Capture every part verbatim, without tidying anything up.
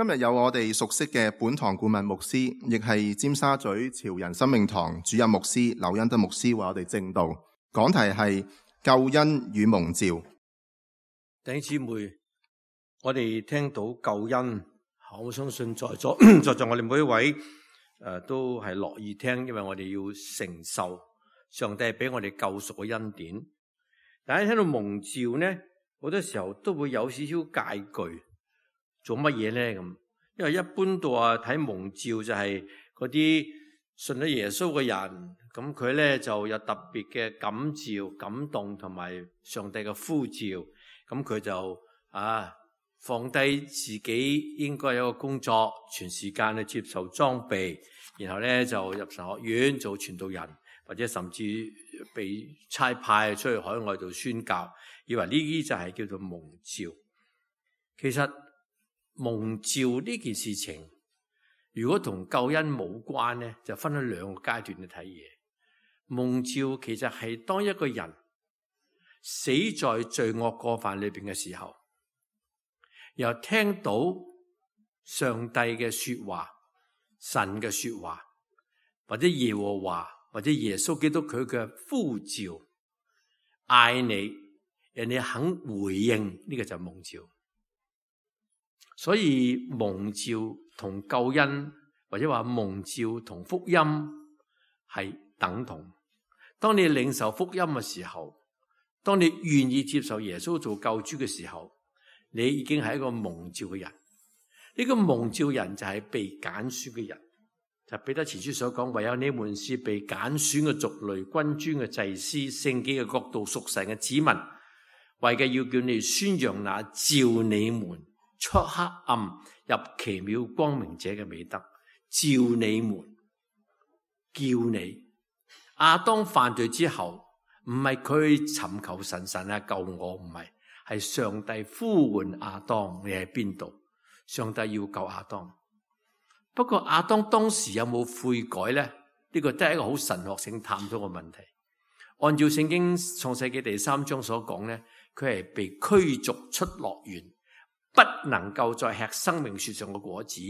今日有我哋熟悉嘅本堂顧問牧師，亦係尖沙咀潮人生命堂主任牧師劉恩德牧師為我哋證道。講題係救恩與蒙召。弟兄姊妹，我哋聽到救恩，我相信在座在座我哋每一位誒、呃、都係樂意聽，因為我哋要承受上帝俾我哋救贖嘅恩典。但係聽到蒙召呢，好多時候都會有少少戒懼。做乜嘢咧咁？因為一般度啊睇蒙召就係嗰啲信咗耶穌嘅人，咁佢咧就有特別嘅感召、感動同埋上帝嘅呼召，咁佢就啊放低自己應該有個工作，全時間去接受裝備，然後咧就入神學院做傳道人，或者甚至被差派出去海外度宣教，以為呢啲就係叫做蒙召。其實蒙召呢件事情，如果同救恩冇關呢，就分咗兩個階段去睇嘢。蒙召其實係當一個人死在罪惡過犯裏邊嘅時候，又聽到上帝嘅說話、神嘅說話，或者耶和華或者耶穌基督佢嘅呼召，嗌你，人哋肯回應，呢個就係蒙召。所以蒙召同救恩，或者話蒙召同福音係等同。當你領受福音嘅時候，當你願意接受耶穌做救主嘅時候，你已經係一個蒙召嘅人。呢個蒙召人就係被揀選嘅人，就彼得前書所講，唯有你們是被揀選嘅族類、君尊嘅祭司、聖潔嘅國度、屬神嘅子民，為嘅要叫你宣揚那召你們出黑暗入奇妙光明者嘅美德。召你們，叫你。亞當犯罪之後，唔係佢尋求神，神啊救我，唔係，係上帝呼喚亞當，你喺邊度？上帝要救亞當。不過亞當當時有冇悔改呢？呢個都係一個好神學性探討嘅問題。按照聖經創世記第三章所講呢，佢係被驅逐出樂園，不能夠再吃生命樹上嘅果子，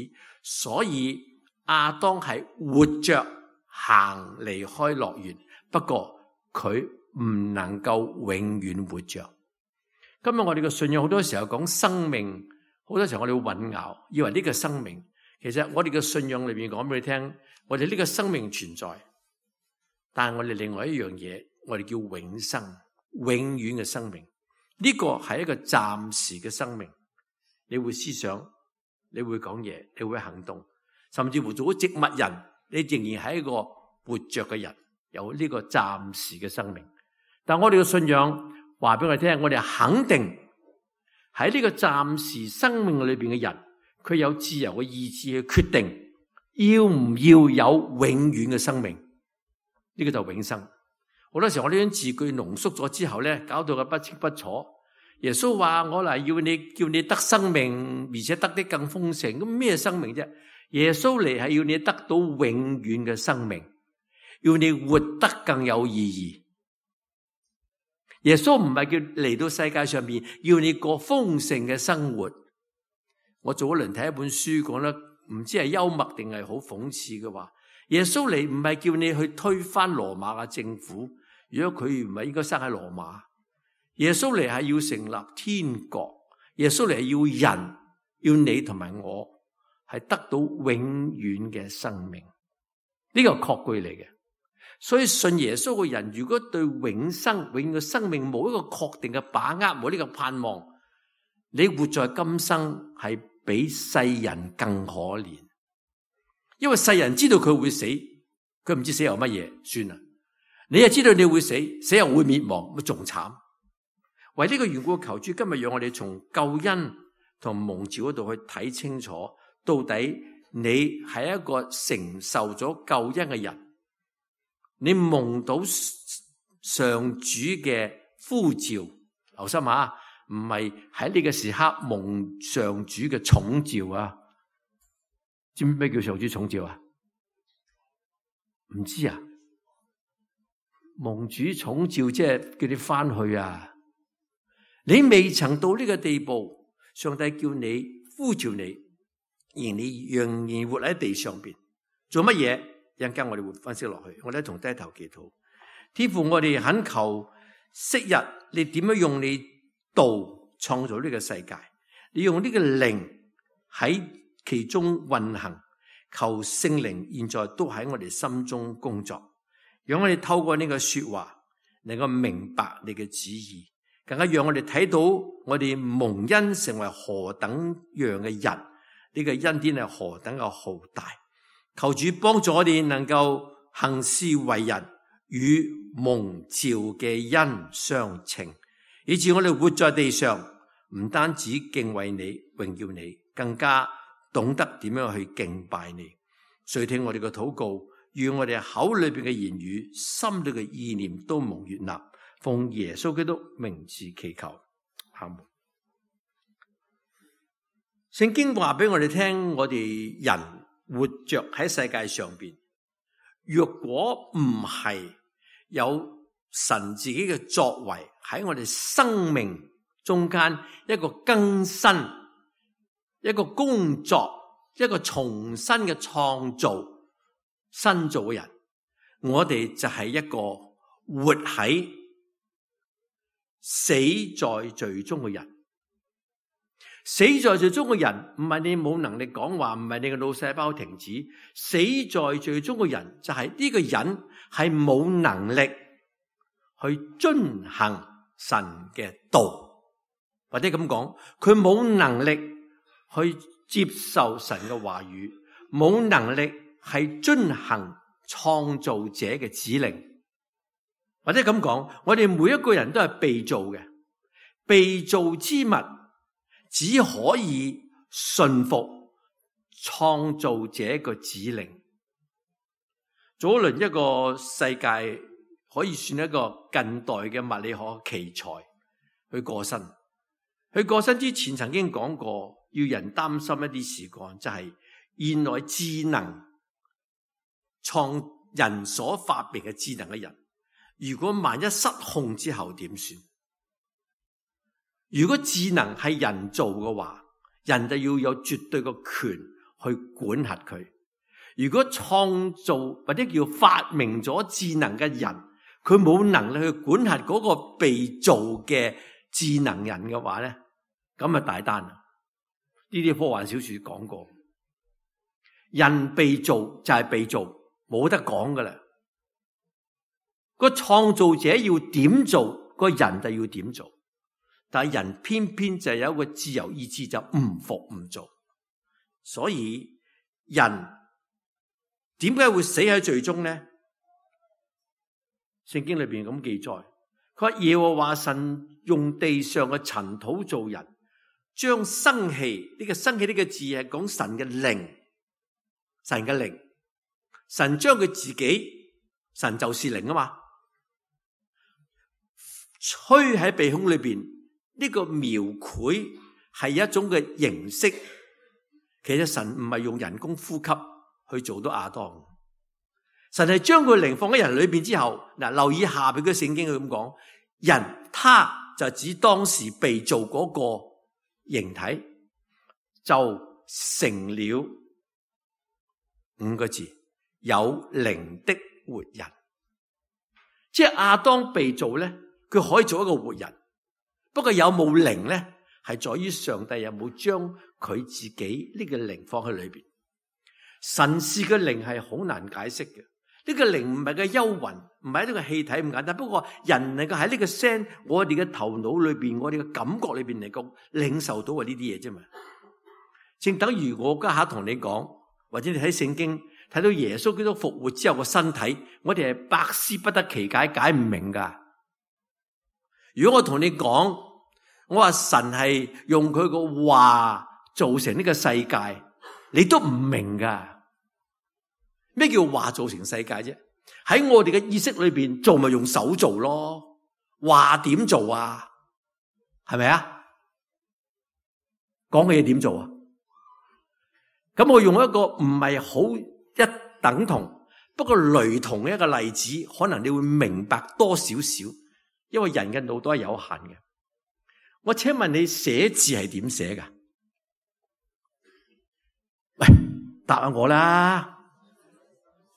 所以亞當係活着行離開樂園，不過佢唔能夠永遠活着。今日我哋嘅信仰好多時候講生命，好多時候我哋會混淆，以為呢個生命，其實我哋嘅信仰裏面講俾你聽，我哋呢個生命存在，但係我哋另外一樣嘢，我哋叫永生，永遠嘅生命。呢個係一個暫時嘅生命。你會思想，你會講嘢，你會行動，甚至乎做咗植物人，你仍然係一個活着嘅人，有呢個暫時嘅生命。但我哋嘅信仰話俾我哋聽，我哋肯定喺呢個暫時生命裏邊嘅人，佢有自由嘅意志去決定要唔要有永遠嘅生命。呢個就係永生。好多時候我呢種字句濃縮咗之後咧，搞到佢不清不楚。耶穌話我嚟要你叫你得生命，而且得的更豐盛。咁咩生命啫？耶穌嚟係要你得到永遠嘅生命，要你活得更有意義。耶穌唔係叫嚟到世界上面要你過豐盛嘅生活。我早一輪睇一本書講得唔知係幽默定係好諷刺嘅話，耶穌嚟唔係叫你去推翻羅馬嘅政府，如果佢唔係應該生喺羅馬。耶穌嚟係要成立天國，耶穌嚟係要人，要你同埋我係得到永遠嘅生命，呢個確據嚟嘅。所以信耶穌嘅人，如果對永生、永遠嘅生命冇一個確定嘅把握，冇呢個盼望，你活在今生係比世人更可憐。因為世人知道佢會死，佢唔知死由乜嘢，算啦。你又知道你會死，死又會滅亡，咪仲慘。為呢個緣故，求主今日讓我哋從救恩同蒙召嗰度去睇清楚，到底你係一個承受咗救恩嘅人，你蒙到上主嘅呼召，留心下，唔係喺呢個時刻蒙上主嘅寵召啊！知唔知咩叫上主寵召啊？唔知啊？蒙主寵召即係叫你翻去啊！你未曾到呢個地步，上帝叫你呼召你，而你仍然活喺地上邊，做乜嘢？一陣間我哋會分析落去。我哋一同低頭祈禱。天父，我哋懇求昔日你點樣用你道創造呢個世界，你用呢個靈喺其中運行，求聖靈現在都喺我哋心中工作，讓我哋透過呢個說話能夠明白你嘅旨意，更加讓我哋睇到我哋蒙恩成為何等樣嘅人，呢個恩典係何等嘅浩大。求主幫助我哋能夠行事為人與蒙召嘅恩相稱，以致我哋活在地上唔單止敬畏你榮耀你，更加懂得點樣去敬拜你。垂聽我哋嘅禱告，願我哋口裏邊嘅言語心裏嘅意念都蒙悅納，奉耶穌基督名字祈求，阿門。聖經話俾我哋聽，我哋人活着喺世界上邊，若果唔係有神自己嘅作為喺我哋生命中間一個更新，一個工作，一個重新嘅創造，新造嘅人，我哋就係一個活喺死在罪中嘅人。死在罪中嘅人唔係你冇能力講話，唔係你嘅腦細胞停止。死在罪中嘅人就係呢個人係冇能力去遵行神嘅道，或者咁講，佢冇能力去接受神嘅話語，冇能力係遵行創造者嘅指令，或者咁講，我哋每一個人都係被造嘅，被造之物只可以順服創造者嘅指令。早輪一個世界可以算一個近代嘅物理學奇才，佢過身。佢過身之前曾經講過，要人擔心一啲事幹，就係現來智能創人所發明嘅智能嘅人，如果萬一失控之後點算？如果智能係人做嘅話，人就要有絕對嘅權去管轄佢。如果創造或者叫發明咗智能嘅人，佢冇能力去管轄嗰個被造嘅智能人嘅話咧，咁啊大單啦！呢啲科幻小說講過，人被造就係被造，冇得講噶啦。個創造者要點做，個人就要點做。但係人偏偏就有一個自由意志，就唔服唔做。所以人點解會死喺罪中呢？聖經裏邊咁記載，佢話耶和華神用地上嘅塵土造人，將生氣，呢個生氣呢個字係講神嘅靈，神嘅靈，神將佢自己，神就是靈啊嘛，吹喺鼻孔裏邊。呢個描繪係一種嘅形式，其實神唔係用人工呼吸去做到亞當，神係將佢靈放喺人裏邊之後，嗱，留意下邊嘅聖經佢咁講，人他就指當時被造嗰個形體，就成了五個字，有靈的活人。即係亞當被造咧，佢可以做一個活人。不過有冇靈咧，係在於上帝有冇將佢自己呢個靈放喺裏邊。神是嘅靈係好難解釋嘅，呢個靈唔係個幽魂，唔係呢個氣體咁簡單。不過人能夠喺呢個聲，我哋嘅頭腦裏邊，我哋嘅感覺裏邊嚟講，領受到係呢啲嘢啫嘛。正等於我家下同你講，或者你睇聖經睇到耶穌基督復活之後個身體，我哋係百思不得其解，解唔明噶。如果我同你講，我話神係用佢個話造成呢個世界，你都唔明噶。咩叫話造成世界啫？喺我哋嘅意識裏邊做咪用手做咯，話點做啊？係咪啊？講嘅嘢點做啊？咁我用一個唔係好一等同，不過雷同嘅一個例子，可能你會明白多少少。因為人嘅腦袋係有限嘅，我請問你寫字係點寫噶？答下我啦，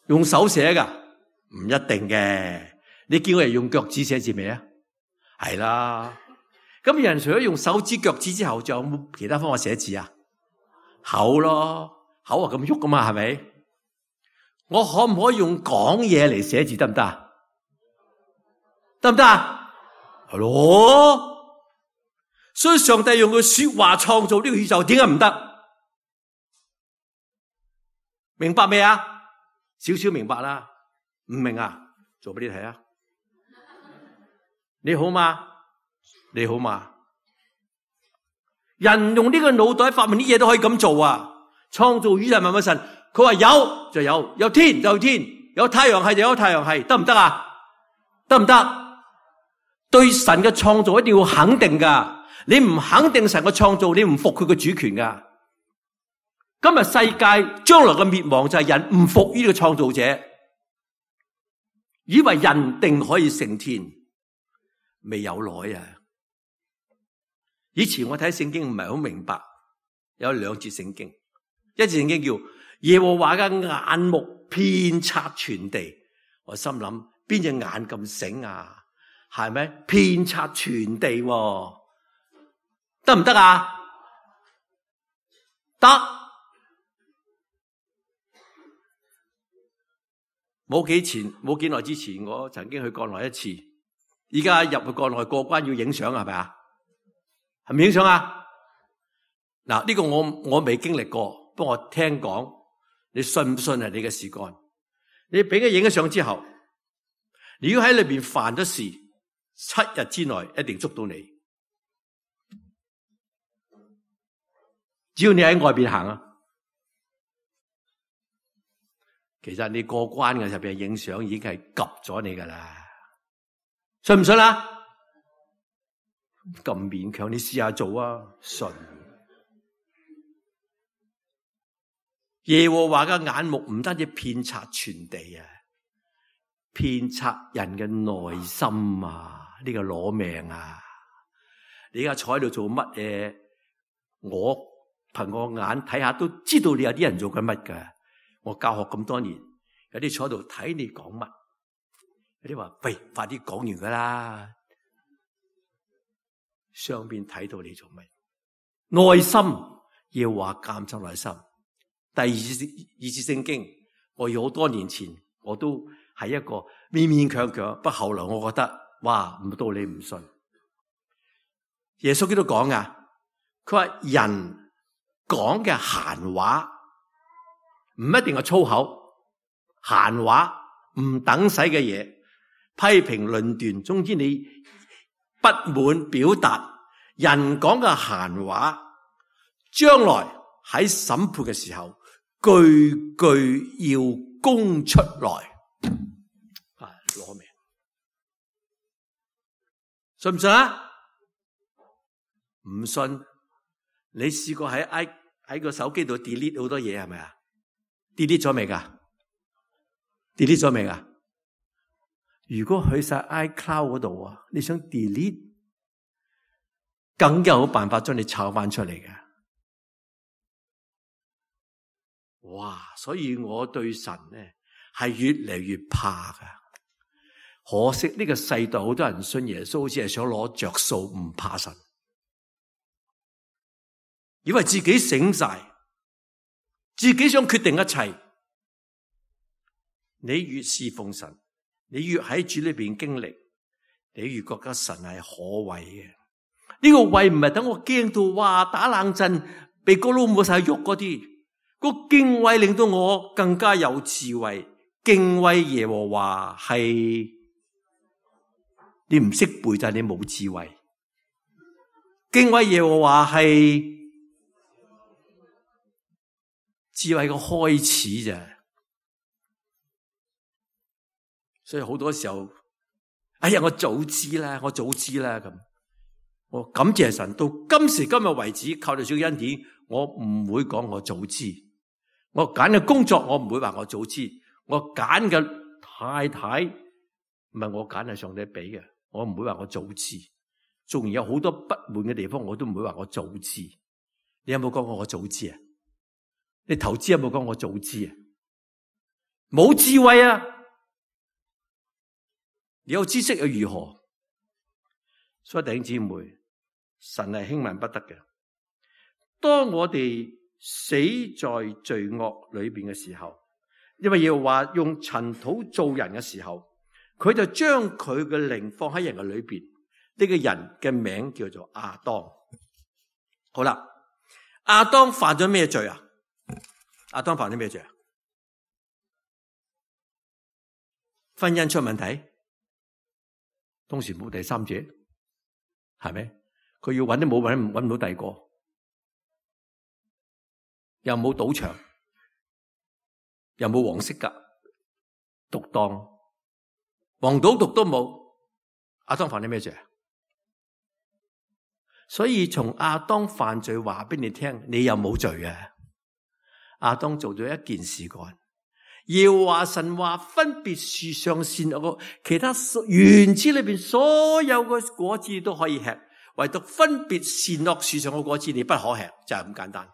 用手寫噶？唔一定嘅。你見我哋用腳趾寫字未啊？係啦。咁人除咗用手指、腳趾之後，仲有冇其他方法寫字啊？口咯，口啊咁喐噶嘛，係咪？我可唔可以用講嘢嚟寫字得唔得啊？得唔得啊？係咯。所以上帝用佢說話創造呢個宇宙，點解唔得？明白未啊？少少明白啦。唔明啊？做俾你睇啊！你好嘛？你好嘛？人用呢個腦袋發明啲嘢都可以咁做啊！創造宇宙萬物神，佢話有就有，有天就有天，有太陽系就有太陽系，得唔得啊？得唔得？對神嘅創造一定要肯定噶，你唔肯定神嘅創造，你唔服佢嘅主權噶。今日世界將來嘅滅亡就係人唔服於呢個創造者，以為人定可以升天，未有耐啊！以前我睇聖經唔係好明白，有兩節聖經，一節聖經叫耶和華嘅眼目遍察全地，我心諗邊隻眼咁醒啊？係咪遍察全地喎？得唔得啊？得。冇幾前冇幾耐之前，我曾經去國內一次，而家入去國內過關要影相係咪啊？係咪影相啊？嗱，呢個我我未經歷過，不過我聽講，你信唔信係你嘅事幹？你俾佢影咗相之後，你如果喺裏邊犯咗事，七日之內一定捉到你。只要你喺外邊行啊，其實你過關嘅時候俾人影相已經係及咗你噶啦，信唔信啊？咁勉強，你試下做啊！信。耶和華嘅眼目唔單止遍察全地啊，遍察人嘅內心啊，呢個攞命啊！你而家坐喺度做乜嘢？我憑我眼睇下都知道你有啲人做緊乜噶。我教學咁多年，有啲坐喺度睇你講乜，有啲話喂，快啲講完噶啦。上邊睇到你做乜？內心要話監察內心。第二次二次聖經，我要好多年前我都係一個勉勉強強，不過後來我覺得哇，唔到你唔信。耶穌基督講噶，佢話人講嘅閒話唔一定係粗口，閒話唔等使嘅嘢，批評論斷，總之你不滿表達，人講嘅閒話，將來喺審判嘅時候，句句要供出來，啊，攞命，信唔信啊？唔信，你試過喺 i 喺個手機度 delete 好多嘢係咪啊？delete 咗未噶 ？delete 咗未噶？如果去晒 iCloud 嗰度啊，你想 delete， 更有辦法將你抄翻出嚟嘅。哇！所以我對神咧係越嚟越怕噶。可惜呢個世代好多人信耶穌，好似係想攞着數，唔怕神，以為自己醒晒，自己想決定一切。你越侍奉神，你越喺主裏邊經歷，你越覺得神係可畏嘅。呢、這個畏唔係等我驚到哇打冷震，鼻哥窿冇晒肉嗰啲，個敬畏令到我更加有智慧。敬畏耶和華係你唔識背就係你冇智慧。敬畏耶和華係智慧嘅開始咋。所以好多時候，哎呀，我早知啦，我早知啦咁。我感謝神，到今時今日為止，靠住主嘅恩典，我唔會講我早知。我揀嘅工作，我唔會話我早知。我揀嘅太太，唔係我揀，係上帝俾嘅，我唔會話我早知。縱然有好多不滿嘅地方，我都唔會話我早知。你有冇講過我早知啊？你投資有冇講我早知啊？冇智慧啊！你有知識又如何？所以弟兄姊妹，神係輕慢不得嘅。當我哋死在罪惡裏邊嘅時候，因為要話用塵土造人嘅時候，佢就將佢嘅靈放喺人嘅裏邊。呢個人嘅名叫做亞當。好啦，亞當犯咗咩罪啊？亞當犯咗咩罪啊？婚姻出問題，當時冇第三者，係咪？佢要揾都冇揾，揾唔到第二個，又冇賭場，又冇黃色噶獨當，黃賭毒都冇。亞當犯咗咩罪啊？所以從亞當犯罪話俾你聽，你有冇罪啊？亞當做咗一件事幹，要話神話分別樹上善惡，其他園子裏邊所有嘅果子都可以吃，唯獨分別善惡樹上嘅果子你不可吃，就係咁簡單。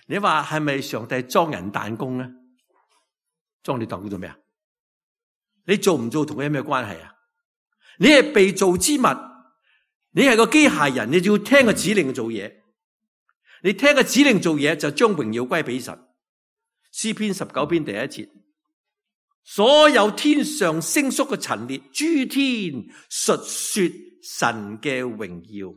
你話係咪上帝裝人彈弓咧？裝你彈弓做咩啊？你做唔做同佢有咩關係啊？你係被造之物，你係個機械人，你就要聽個指令做嘢。你聽個指令做嘢，就將榮耀歸俾神。詩篇十九篇第一節，所有天上星宿嘅陳列，諸天述說神嘅榮耀。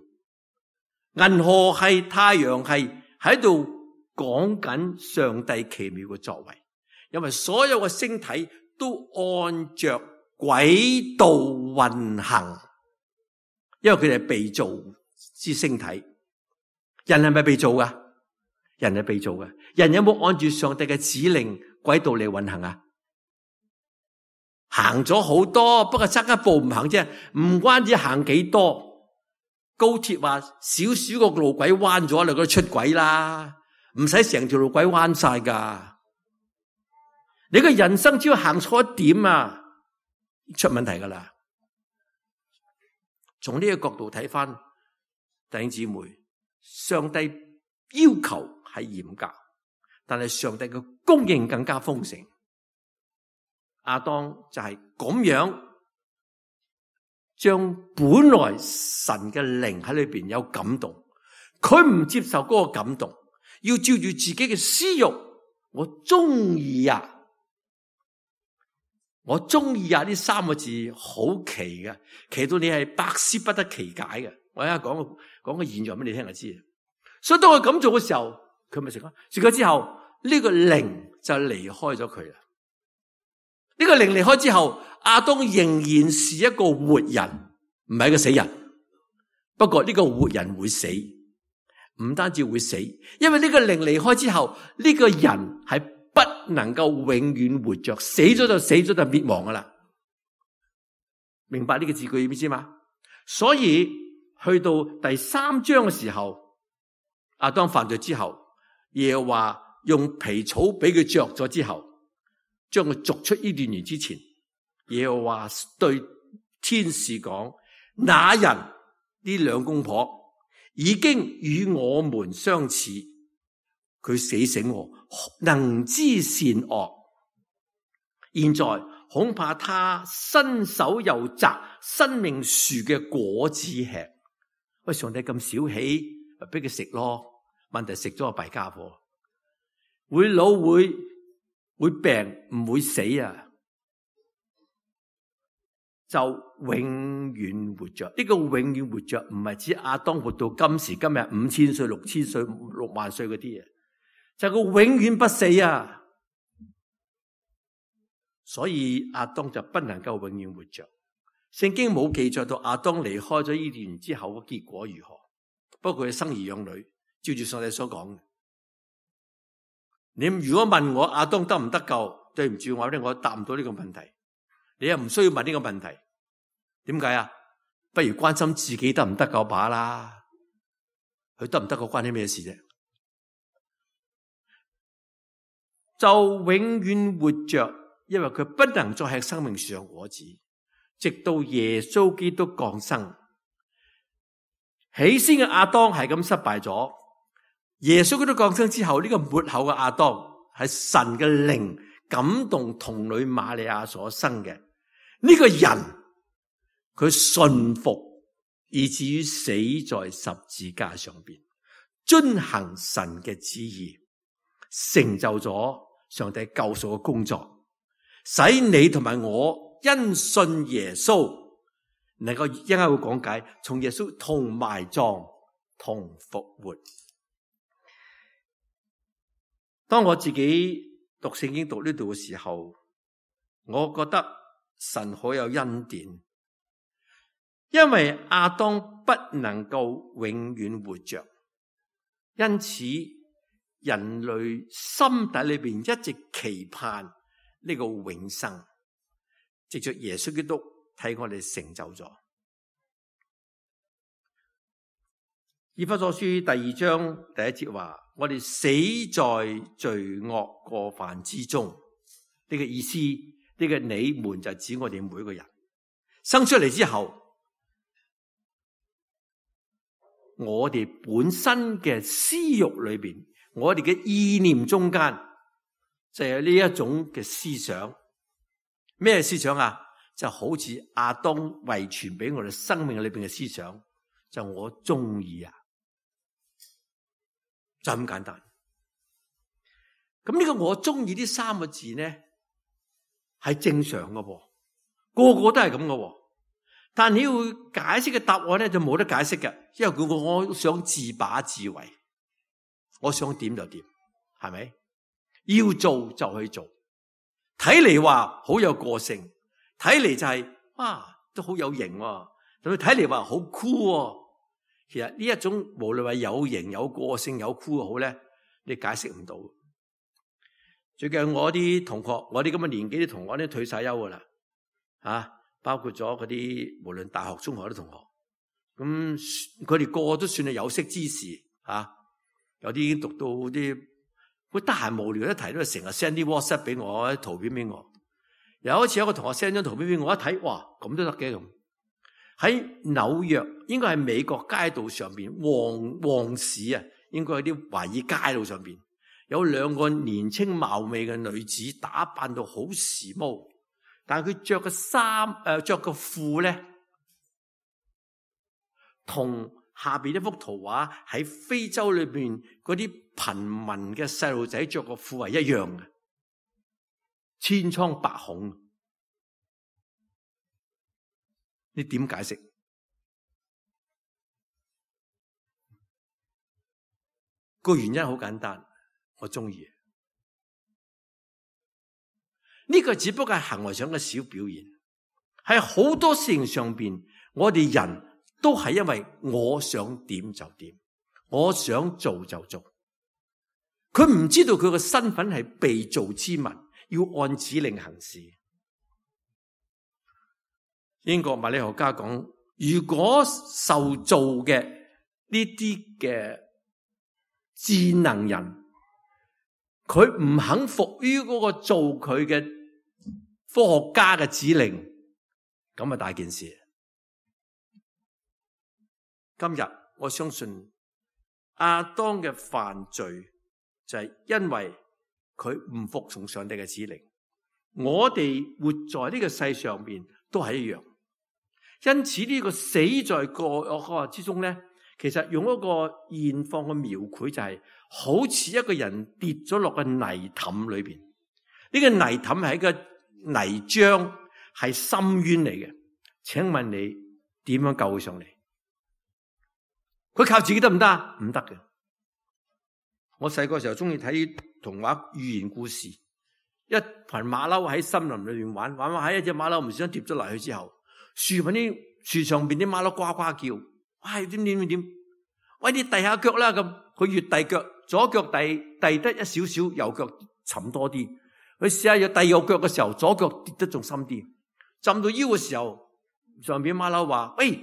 銀河系、太陽系喺度講緊上帝奇妙嘅作為，因為所有嘅星體都按着軌道運行，因為佢哋係被造之星體。人係咪被造噶？人係被造嘅。人有冇按住上帝嘅指令軌道嚟運行啊？行咗好多，不過差一步唔行啫。唔關止行幾多，高鐵話少少個路軌彎咗，你嗰度出軌啦，唔使成條路軌彎晒噶。你個人生只要行錯一點啊，出問題噶啦。從呢個角度睇翻，弟兄姊妹，上帝要求係嚴格，但係上帝嘅供應更加豐盛。亞當就係咁樣將本來神嘅靈喺裏邊有感動，佢唔接受嗰個感動，要照住自己嘅私欲，我中意啊！我中意啊！呢三個字好奇嘅，奇到你係百思不得其解嘅。我而家講個講個現象俾你聽就知。所以當佢咁做嘅時候，佢咪食咯？食咗之後，呢個靈就離開咗佢啦。呢個靈離開之後，亞當仍然是一個活人，唔係一個死人。不過呢個活人會死，唔單止會死，因為呢個靈離開之後，呢個人係不能夠永遠活着，死咗就死咗就滅亡噶啦。明白呢個字句意思嘛？所以去到第三章嘅時候，亞當犯罪之後，耶和華用皮草俾佢着咗之後，將佢逐出伊甸園之前，耶和華對天使講：那人呢兩公婆已經與我們相似，佢死醒我，能知善惡。現在恐怕他伸手又摘生命樹嘅果子吃。喂，上帝咁小氣，咪俾佢食咯。問題食咗個弊家伙，會老會會病，唔會死啊，就永遠活着。呢個永遠活着唔係指亞當活到今時今日五千歲、六千歲、六萬歲嗰啲嘢，就係佢永遠不死啊。所以亞當就不能夠永遠活着。聖經冇記載到亞當離開咗伊甸園之後嘅結果如何，不過佢生兒養女，照住上帝所講嘅。你如果問我亞當得唔得救，對唔住我咧，我答唔到呢個問題。你又唔需要問呢個問題，點解啊？不如關心自己得唔得救把啦。佢得唔得救關你咩事啫？就永遠活着，因為佢不能再吃生命樹上果子，直到耶穌基督降生。起先嘅亞當係咁失敗咗，耶穌基督降生之後，呢、這個末後嘅亞當係神嘅靈感動童女瑪利亞所生嘅。呢、這個人佢順服，以至於死在十字架上邊，遵行神嘅旨意，成就咗上帝救贖嘅工作，使你同埋我因信耶穌能夠一陣間會講解，從耶穌同埋葬同復活。當我自己讀聖經讀呢度嘅時候，我覺得神好有恩典，因為亞當不能夠永遠活着，因此人類心底裏邊一直期盼呢個永生，藉着耶穌基督替我哋成就咗。以弗所書第二章第一節話，我哋死在罪惡過犯之中。呢個意思，呢個你們就指我哋每個人生出嚟之後，我哋本身嘅私欲裏邊，我哋嘅意念中間就有呢一種嘅思想。咩思想啊？就好似亞當遺傳俾我哋生命裏邊嘅思想，就我中意啊，就咁簡單。咁呢個我中意呢三個字呢，係正常噶噃，個個都係咁噶喎。但你要解釋嘅答案咧，就冇得解釋嘅，因為佢我想自把自為，我想點就點，係咪？要做就去做，睇嚟話好有個性，睇嚟就係、是、啊都好有型、啊，同佢睇嚟話好酷、啊。其實呢一種無論話有型、有個性、有酷好咧，你解釋唔到。最近我啲同學，我啲咁嘅年紀啲同學咧退晒休噶啦，啊，包括咗嗰啲無論大學、中學啲同學，咁佢哋個個都算係有識之士，啊，有啲已經讀到啲，佢得閒無聊一提都係成日 send 啲 WhatsApp 俾我，啲圖片俾我。有一次有一個同學 send 張圖片俾我，一睇，哇，咁都得嘅咁。喺紐約，應該係美國街道上邊旺旺市啊，應該喺啲華爾街道上邊。有兩個年青貌美嘅女子，打扮到好時髦，但係佢着嘅衫誒，着嘅褲咧，同下邊一幅圖畫喺非洲裏邊嗰啲貧民嘅細路仔着嘅褲係一樣嘅，千瘡百孔。你點解釋？個原因好簡單。我中意呢個，只不過係行為上嘅小表現，係好多事情上邊，我哋人都係因為我想點就點，我想做就做。佢唔知道佢個身份係被造之物，要按指令行事。英國物理學家講，如果受造嘅呢啲嘅智能人，佢唔肯服於嗰個做佢嘅科學家嘅指令，咁啊大件事。今日我相信亞當嘅犯罪就係因為佢唔服從上帝嘅指令。我哋活在呢個世上邊都係一樣，因此呢個死在過惡之中咧，其實用一個現況嘅描繪就係、是。好似一個人跌咗落個泥凼裏邊，呢、這個泥凼係一個泥漿，係深淵嚟嘅。請問你點樣救佢上嚟？佢靠自己得唔得？唔得嘅。我細個時候中意睇童話寓言故事，一群馬騮喺森林裏邊玩，玩玩喺一隻馬騮唔小心跌咗落去之後，樹搵啲樹上邊啲馬騮呱呱叫，喂，點點點點，喂，你遞下腳啦咁，佢越遞腳。左腳遞遞得一少少，右腳沉多啲。佢試下要遞右腳嘅時候，左腳跌得仲深啲。浸到腰嘅時候，上邊馬騮話：喂，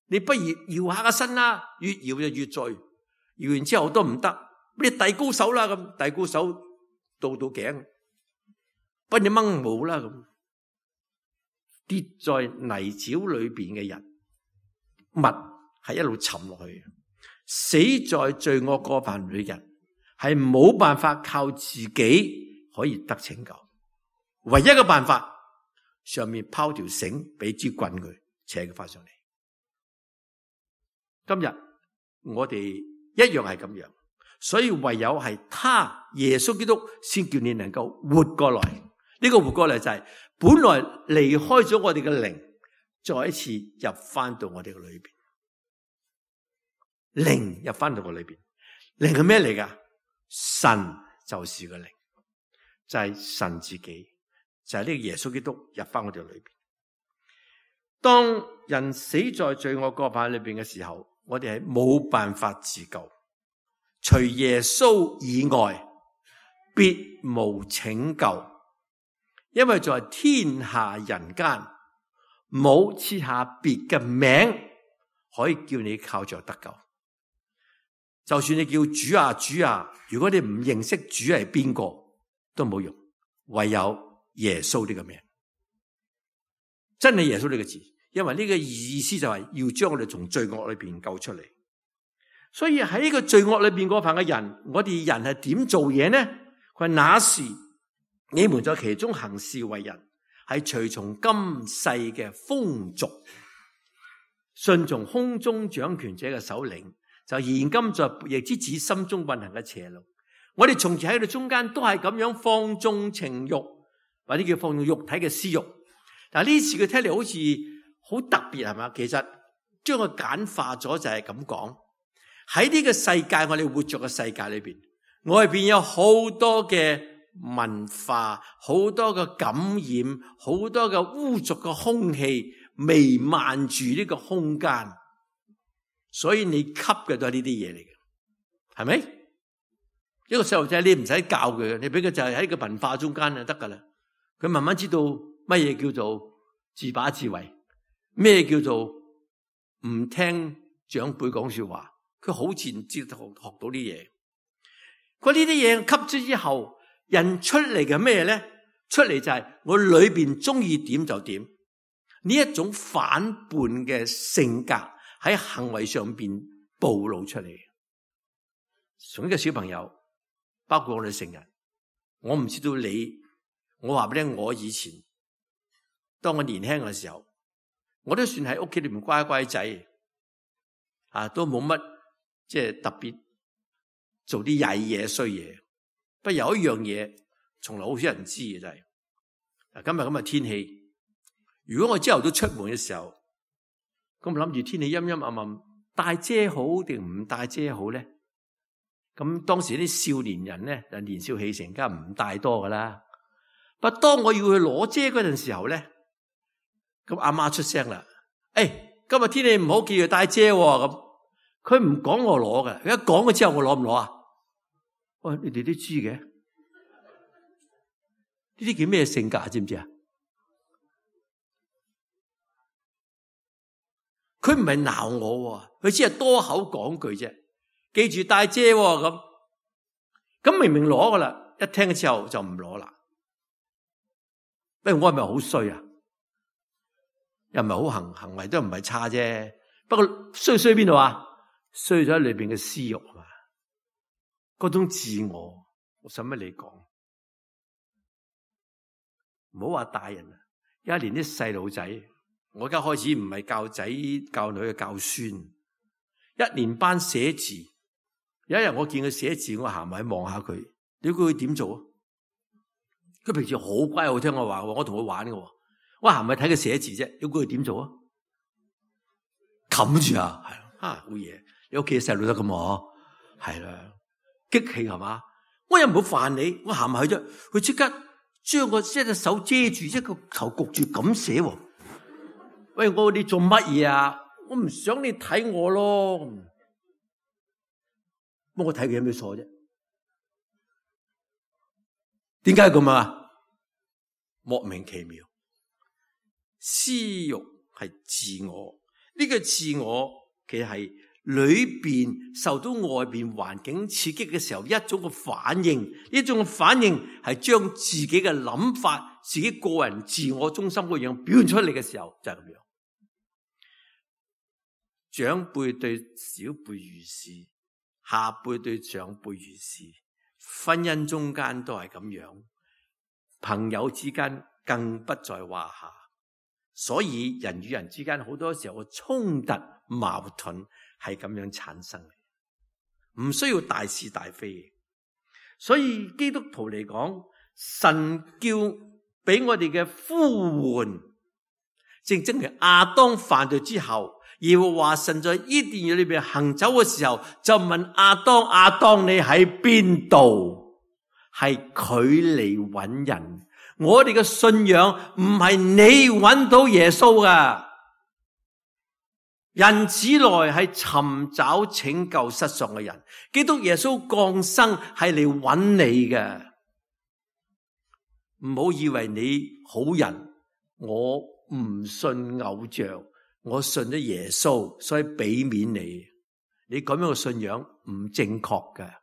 你不如搖下個身啦，越搖就越醉。搖完之後都唔得，你遞高手啦咁，遞高手到到頸，不如掹毛啦咁。跌在泥沼裏邊嘅人物係一路沉落去。死在罪惡過犯裏嘅人係冇辦法靠自己可以得拯救，唯一嘅辦法，上面拋條繩，俾支棍佢，扯佢翻上嚟。今日我哋一樣係咁樣，所以唯有係他耶穌基督先叫你能夠活過來。呢個活過來就係本來離開咗我哋嘅靈，再一次入翻到我哋嘅裏邊。靈入翻到我裏邊，靈係咩嚟噶？神就是個靈，就係神自己，就係呢個耶穌基督入翻我哋裏邊。當人死在罪惡過犯裏邊嘅時候，我哋係冇辦法自救，除耶穌以外，別無拯救。因為在天下人間，冇賜下別嘅名可以叫你靠着得救。就算你叫主啊主啊，如果你唔認識主係邊個，都冇用，唯有耶穌呢個名，真係耶穌呢個字。因為呢個意思就係要將我哋從罪惡裏邊救出嚟。所以喺呢個罪惡裏邊嗰份嘅人，我哋人係點做嘢呢？佢話那時你們在其中行事為人，係隨從今世嘅風俗，順從空中掌權者嘅首領，就現今在悖逆之子心中運行嘅邪路。我哋從前喺度中間都係咁樣放縱情欲，或者叫放縱肉體嘅私欲。但係呢次佢聽嚟好似好特別，係嘛？其實將佢簡化咗就係咁講。喺呢個世界，我哋活着嘅世界裏邊，外邊有好多嘅文化，好多嘅感染，好多嘅污濁嘅空氣彌漫住呢個空間，所以你吸嘅都係呢啲嘢嚟嘅，係咪？一個細路仔你唔使教佢嘅，你俾佢就係喺個文化中間就得噶啦，佢慢慢知道乜嘢叫做自把自為，咩叫做唔聽長輩講說話，佢好自然知道學到啲嘢。佢呢啲嘢吸咗之後，人出嚟嘅咩咧？出嚟就係我裏邊中意點就點，呢一種反叛嘅性格喺行為上邊暴露出嚟。從呢個小朋友，包括我哋成人，我唔知道你，我話俾你聽，我以前當我年輕嘅時候，我都算喺屋企裏面乖乖仔，啊，都冇乜即係特別做啲曳嘢衰嘢。不過有一樣嘢，從來好少人知嘅就係、是，嗱，今日咁嘅天氣，如果我朝頭早出門嘅時候，咁諗住天氣陰陰暗暗，帶遮好定唔帶遮好咧？咁當時啲少年人咧，就年少氣盛，梗係唔帶多噶啦。不過當我要去攞遮嗰陣時候咧，咁阿媽出聲啦，誒、哎，今日天氣唔好，記住帶遮喎。咁佢唔講我攞嘅，佢一講咗之後，我攞唔攞啊？喂，你哋都知嘅，呢啲叫咩性格知唔知啊？佢唔係鬧我，佢只係多口講句啫。記住帶遮咁，咁明明攞噶啦，一聽之後就唔攞啦。喂，我係咪好衰啊？又唔係好行行為都唔係差啫。不過衰衰邊度啊？衰咗喺裏邊嘅私欲啊嘛，嗰種自我，我使乜你講？唔好話大人啊，而家連啲細路仔，我而家開始唔係教仔教女嘅教孫，一年班寫字。有一日我見佢寫字，我行埋去望下佢，你估佢點做啊？佢平時好乖好聽我話，我同佢玩嘅，我行埋睇佢寫字啫，你估佢點做啊？冚住啊，係啊，好嘢！你屋企嘅細路都咁喎，係啦，激氣係嘛？我又唔好煩你，我行埋去啫，佢即刻將個一隻手遮住，一個頭焗住咁寫。喂，我你做乜嘢啊？我唔想你睇我咯。咁我睇佢有咩錯啫？點解咁啊？莫名其妙。私欲係自我，呢個自我其實係裏邊受到外邊環境刺激嘅時候一種嘅反應，呢種嘅反應係將自己嘅諗法、自己個人自我中心嗰樣表現出嚟嘅時候就係咁樣。長輩對小輩如是，下輩對長輩如是，婚姻中間都係咁樣，朋友之間更不在話下。所以人與人之間好多時候嘅衝突矛盾係咁樣產生嘅，唔需要大是大非。所以基督徒嚟講，神叫俾我哋嘅呼喚，正正係亞當犯罪之後，耶和華神在伊甸園裏邊行走嘅時候，就問亞當：亞當你喺邊度？係佢嚟揾人。我哋嘅信仰唔係你揾到耶穌噶，人子來係尋找拯救失喪嘅人，基督耶穌降生係嚟揾你嘅。唔好以為你好人，我唔信偶像，我信咗耶穌，所以俾面你。你咁樣嘅信仰唔正確嘅，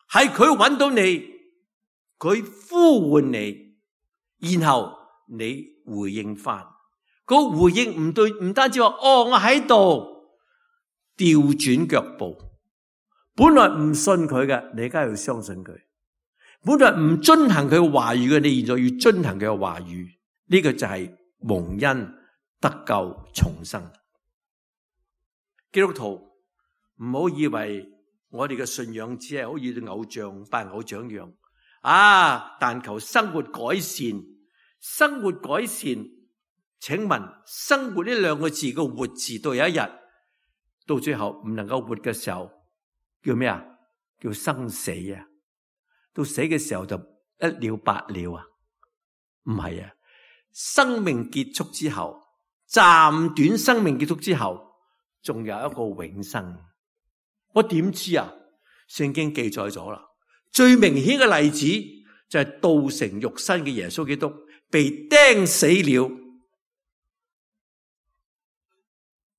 係佢揾到你。佢呼喚你，然後你回應翻。嗰個回應唔對，唔單止話哦，我喺度，調轉腳步。本來唔信佢嘅，你而家要相信佢；本來唔遵行佢嘅話語嘅，你現在要遵行佢嘅話語。呢個就係蒙恩得救重生。基督徒唔好以為我哋嘅信仰只係好似對偶像拜偶像一樣。啊！但求生活改善，生活改善。請問生活呢兩個字嘅活字到有一日到最後唔能夠活嘅時候，叫咩啊？叫生死啊！到死嘅時候就一了百了啊？唔係啊！生命結束之後，暫短生命結束之後，仲有一個永生。我點知啊？聖經記載咗啦。最明顯嘅例子就係道成肉身嘅耶穌基督被釘死了，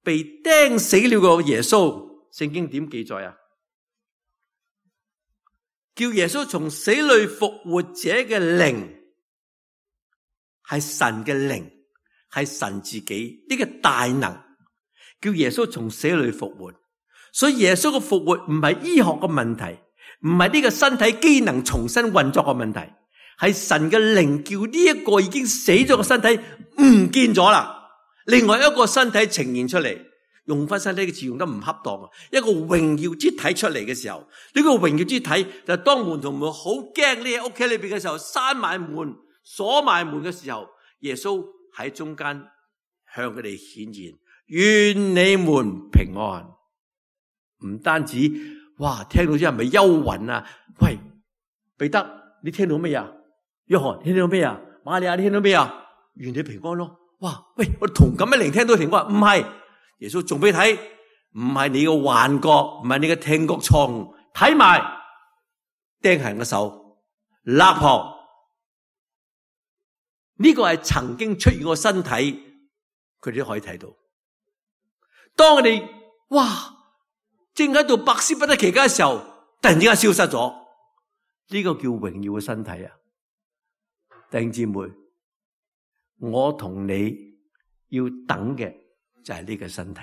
被釘死了個耶穌，聖經點記載啊？叫耶穌從死裏復活者嘅靈，係神嘅靈，係神自己呢個大能，叫耶穌從死裏復活。所以耶穌嘅復活唔係醫學嘅問題。唔係呢個身體機能重新運作嘅問題，係神嘅靈叫呢一個已經死咗嘅身體唔見咗啦，另外一個身體呈現出嚟。用翻身體嘅詞用得唔恰當啊！一個榮耀之體出嚟嘅時候，呢、這個榮耀之體就當門徒們好驚呢喺屋企裏邊嘅時候，閂埋門鎖埋門嘅時候，耶穌喺中間向佢哋顯現，願你們平安。唔單止。哇！聽到之後係咪憂魂啊？喂，彼得，你聽到咩啊？約翰，你聽到咩啊？瑪利亞，你聽到咩啊？願你平安咯！哇！喂，我同感一靈聽到平安，唔係耶穌仲俾你睇，唔係你嘅幻覺，唔係你嘅聽覺錯誤，睇埋釘痕嘅手，肋旁呢個係曾經出現過身體，佢哋都可以睇到。當我哋哇！正喺度百思不得其解嘅時候，突然之間消失咗，呢、這個叫榮耀嘅身體啊！弟兄姊妹，我同你要等嘅就係呢個身體。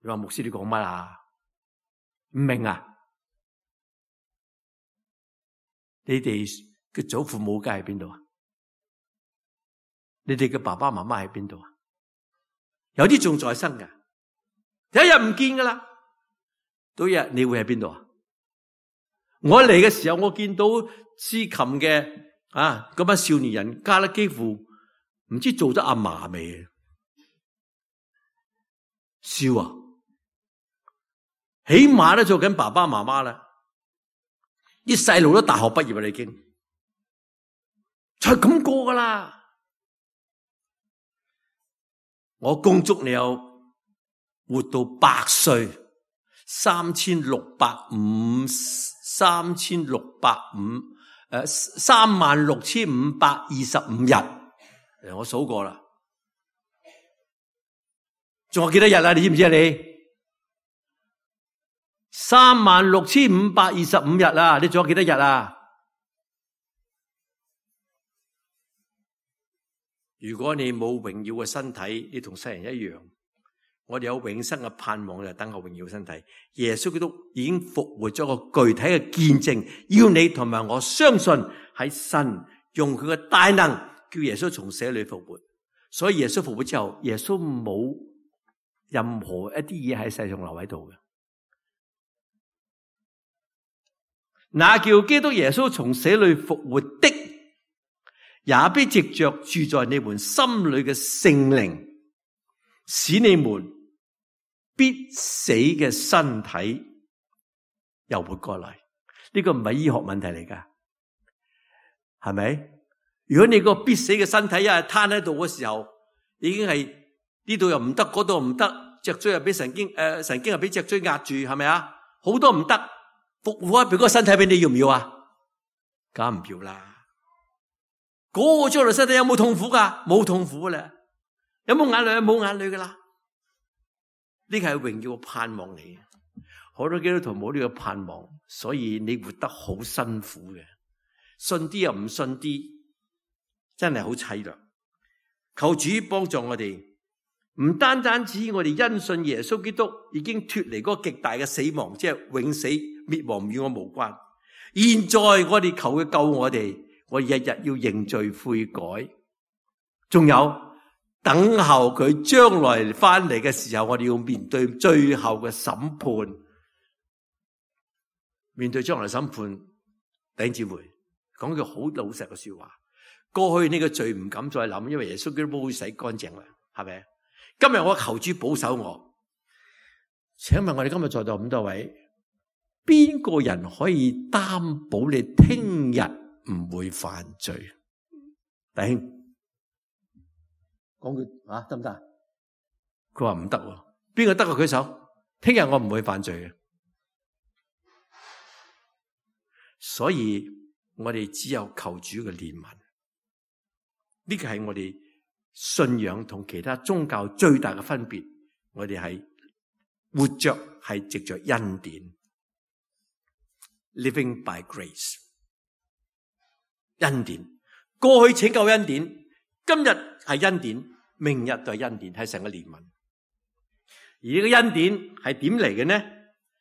你話牧師你講乜啊？唔明啊？你哋嘅祖父母家喺邊度啊？你哋嘅爸爸媽媽喺邊度啊？有啲仲在生噶。有一日唔見噶啦，到一日你會喺邊度啊？我嚟嘅時候，我見到司琴嘅啊嗰班少年人家咧，幾乎唔知做咗阿嫲未？笑啊！起碼都做緊爸爸媽媽啦，啲細路都大學畢業啦，已經就係咁過噶啦。我恭祝你有活到百歲，三千六百五，三千六百五，誒，三萬六千五百二十五日。誒，我數過啦，仲有幾多日啊？你知唔知啊？你三萬六千五百二十五日啊？你仲有幾多日啊？如果你冇榮耀嘅身體，你同世人一樣。我哋有永生嘅盼望，就等候榮耀身體。耶穌基督已經復活咗個具體嘅見證，要你同埋我相信喺神用佢嘅大能叫耶穌從死裏復活。所以耶穌復活之後，耶穌冇任何一啲嘢喺世上留喺度嘅。那叫基督耶穌從死裏復活的，也必藉着住在你們心裏嘅聖靈，使你們必死嘅身體又活過來。呢個唔係醫學問題嚟噶，係咪？如果你個必死嘅身體一係攤喺度嘅時候，已經係呢度又唔得，嗰度又唔得，脊椎又俾神經誒、呃、神經又俾脊椎壓住，係咪啊？好多唔得，復活一邊嗰個身體俾你要唔要啊？梗唔要啦。嗰、那個將來身體有冇痛苦噶？冇痛苦啦。有冇眼淚？冇眼淚噶啦。呢個係榮耀嘅盼望嚟，好多基督徒冇呢個盼望，所以你活得好辛苦嘅，信啲又唔信啲，真係好凄涼。求主幫助我哋，唔單單止我哋因信耶穌基督已經脫離嗰個極大嘅死亡，即係永死滅亡與我無關。現在我哋求佢救我哋，我日日要認罪悔改，仲有。等候佢將來翻嚟嘅時候，我哋要面對最後嘅審判。面對將來審判，弟兄姊妹講句好老實嘅說話。過去呢個罪唔敢再諗，因為耶穌基督都會洗乾淨啦，係咪？今日我求主保守我。請問我哋今日在座咁多位，邊個人可以擔保你聽日唔會犯罪？弟兄。講句啊，得唔得？佢話唔得喎，邊個得個舉手？聽日我唔會犯罪嘅，所以我哋只有求主嘅憐憫。呢個係我哋信仰同其他宗教最大嘅分別。我哋係活着係藉着恩典 ，living by grace， 恩典。過去拯救恩典，今日係恩典。明日就係恩典，係神嘅憐憫。而呢個恩典係點嚟嘅呢？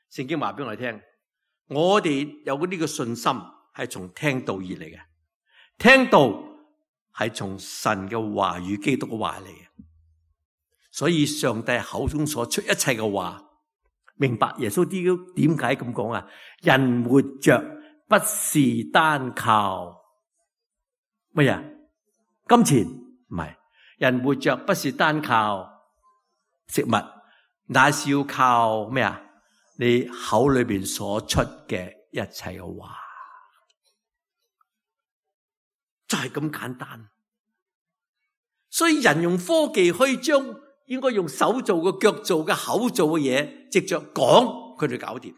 聖經話俾我哋聽，我哋有呢個信心係從聽道而嚟嘅，聽道係從神嘅話語、基督嘅話嚟嘅。所以上帝口中所出一切嘅話，明白耶穌基督點解咁講啊？人活着不是單靠乜嘢？金錢唔係。人活着不是單靠食物，乃是要靠咩啊？你口裏邊所出嘅一切嘅話，就係咁簡單。所以人用科技可以將應該用手做嘅、腳做嘅、口做嘅嘢，藉着講佢哋搞掂。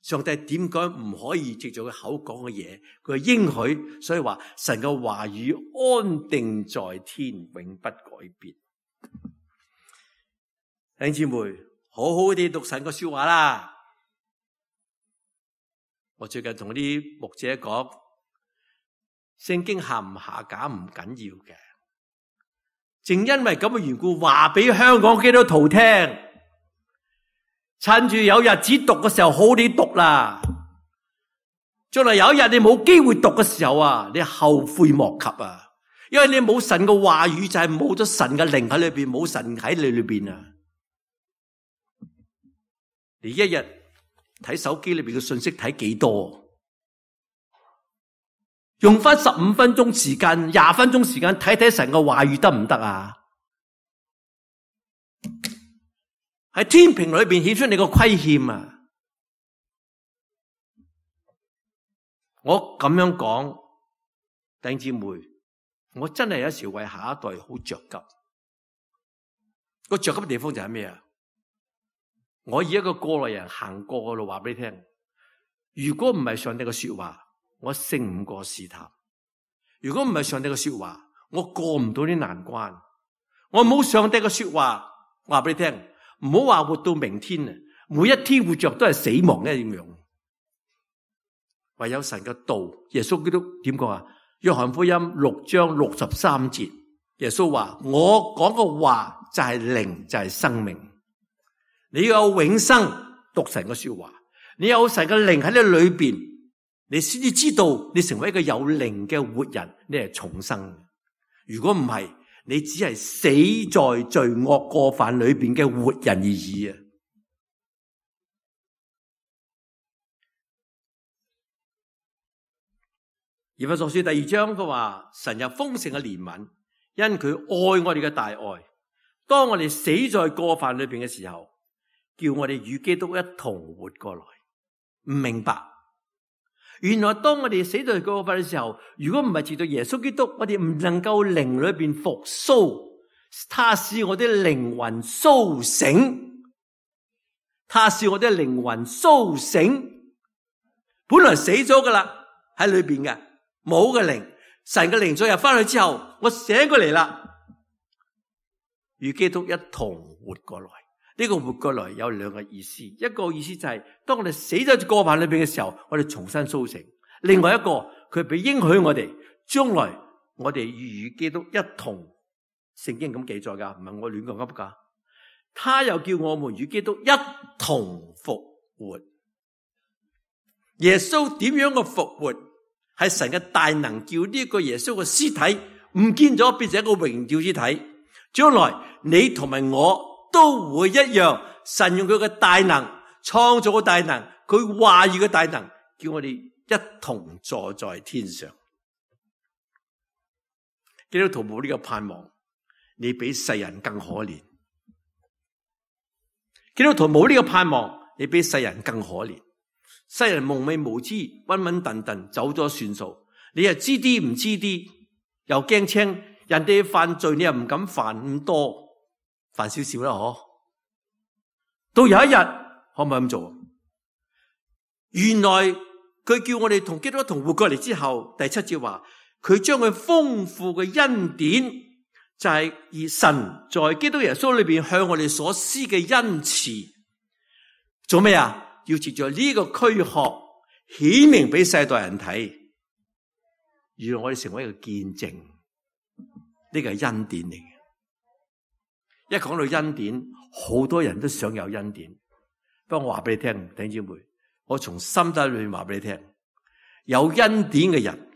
上帝點解唔可以藉住佢口講嘅嘢？佢應許，所以話神嘅話語安定在天，永不改變。弟兄姊妹，好好地讀神嘅說話啦。我最近同啲牧者講，聖經下唔下架唔緊要嘅，正因為咁嘅緣故，話俾香港基督徒聽。趁住有日子讀嘅時候，好好地讀啦。將來有一日你冇機會讀嘅時候啊，你後悔莫及啊！因為你冇神嘅話語，就係冇咗神嘅靈喺裏邊，冇神喺你裏邊啊！你一日睇手機裏邊嘅信息睇幾多？用翻十五分鐘時間、廿分鐘時間睇睇神嘅話語得唔得啊？喺天平裏邊顯出你個虧欠啊！我咁樣講，弟兄姊妹，我真係有時為下一代好着急。個着急嘅地方就係咩啊？我以一個過來人行過嘅路話俾你聽，如果唔係上帝嘅說話，我勝唔過試探；如果唔係上帝嘅說話，我過唔到啲難關。我冇上帝嘅說話，話俾你聽。唔好話活到明天啊！每一天活着都係死亡一樣。唯有神嘅道，耶穌基督點講啊？約翰福音六章六十三節，耶穌話：我講嘅話就係靈，就係生命。你要有永生，讀神嘅說話，你有神嘅靈喺你裏邊，你先至知道你成為一個有靈嘅活人，你係重生。如果唔係，你只係死在罪惡過犯裏邊嘅活人而已啊！以弗所書第二章佢話：神有豐盛嘅憐憫，因佢愛我哋嘅大愛。當我哋死在過犯裏邊嘅時候，叫我哋與基督一同活過來。唔明白，原來當我哋死在過犯嘅時候，如果唔係藉着耶穌基督，我哋唔能夠靈裏邊復甦，他使我哋靈魂甦醒，他使我哋靈魂甦醒。本來死咗噶啦，喺裏邊嘅。冇嘅靈，神嘅靈再入翻去之後，我醒過嚟啦，與基督一同活過來。呢個活過來有兩個意思，一個意思就係當我哋死咗過犯裏邊嘅時候，我哋重新甦醒；另外一個，佢俾應許我哋，將來我哋與基督一同，聖經咁記載噶，唔係我亂咁噏噶。他又叫我們與基督一同復活。耶穌點樣嘅復活？係神嘅大能，叫呢個耶穌嘅屍體唔見咗，變成一個榮耀之體。將來你同埋我都會一樣，神用佢嘅大能創造嘅大能，佢話語嘅大能，叫我哋一同坐在天上。基督徒冇呢個盼望，你比世人更可憐。基督徒冇呢個盼望，你比世人更可憐。世人蒙昧無知，穩穩頓頓走咗算數，你又知啲唔知啲，又驚青人哋犯罪，你又唔敢犯咁多，犯少少啦嗬。到有一日可唔可以咁做？原來佢叫我哋同基督同活過嚟之後，第七節話佢將佢豐富嘅恩典，就係以神在基督耶穌裏邊向我哋所施嘅恩慈，做咩啊？要藉着呢個軀殼顯明俾世代人睇，讓我哋成為一個見證，呢個係恩典嚟嘅。一講到恩典，好多人都想有恩典。不過我話俾你聽，弟兄姊妹，我從心底裏面話俾你聽，有恩典嘅人